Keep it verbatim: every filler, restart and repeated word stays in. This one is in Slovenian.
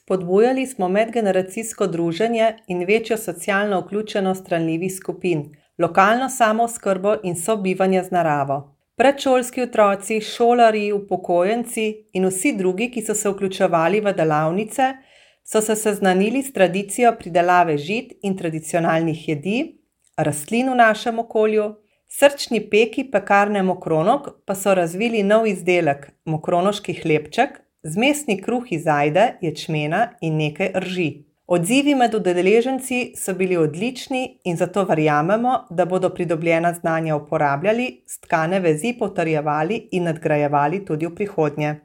Spodbujali smo medgeneracijsko druženje in večjo socialno vključenost ranljivih skupin, lokalno samooskrbo in sobivanje z naravo. Predšolski otroci, šolarji, upokojenci in vsi drugi, ki so se vključevali v delavnice, so se seznanili s tradicijo pridelave žit in tradicionalnih jedi, rastlin v našem okolju. Srčni peki pekarne Mokronog pa so razvili nov izdelek, mokronoški hlebček, zmesni kruh iz ajde, ječmena in nekaj rži. Odzivi med udeleženci so bili odlični in zato verjamemo, da bodo pridobljena znanja uporabljali, stkane vezi potrjevali in nadgrajevali tudi v prihodnje.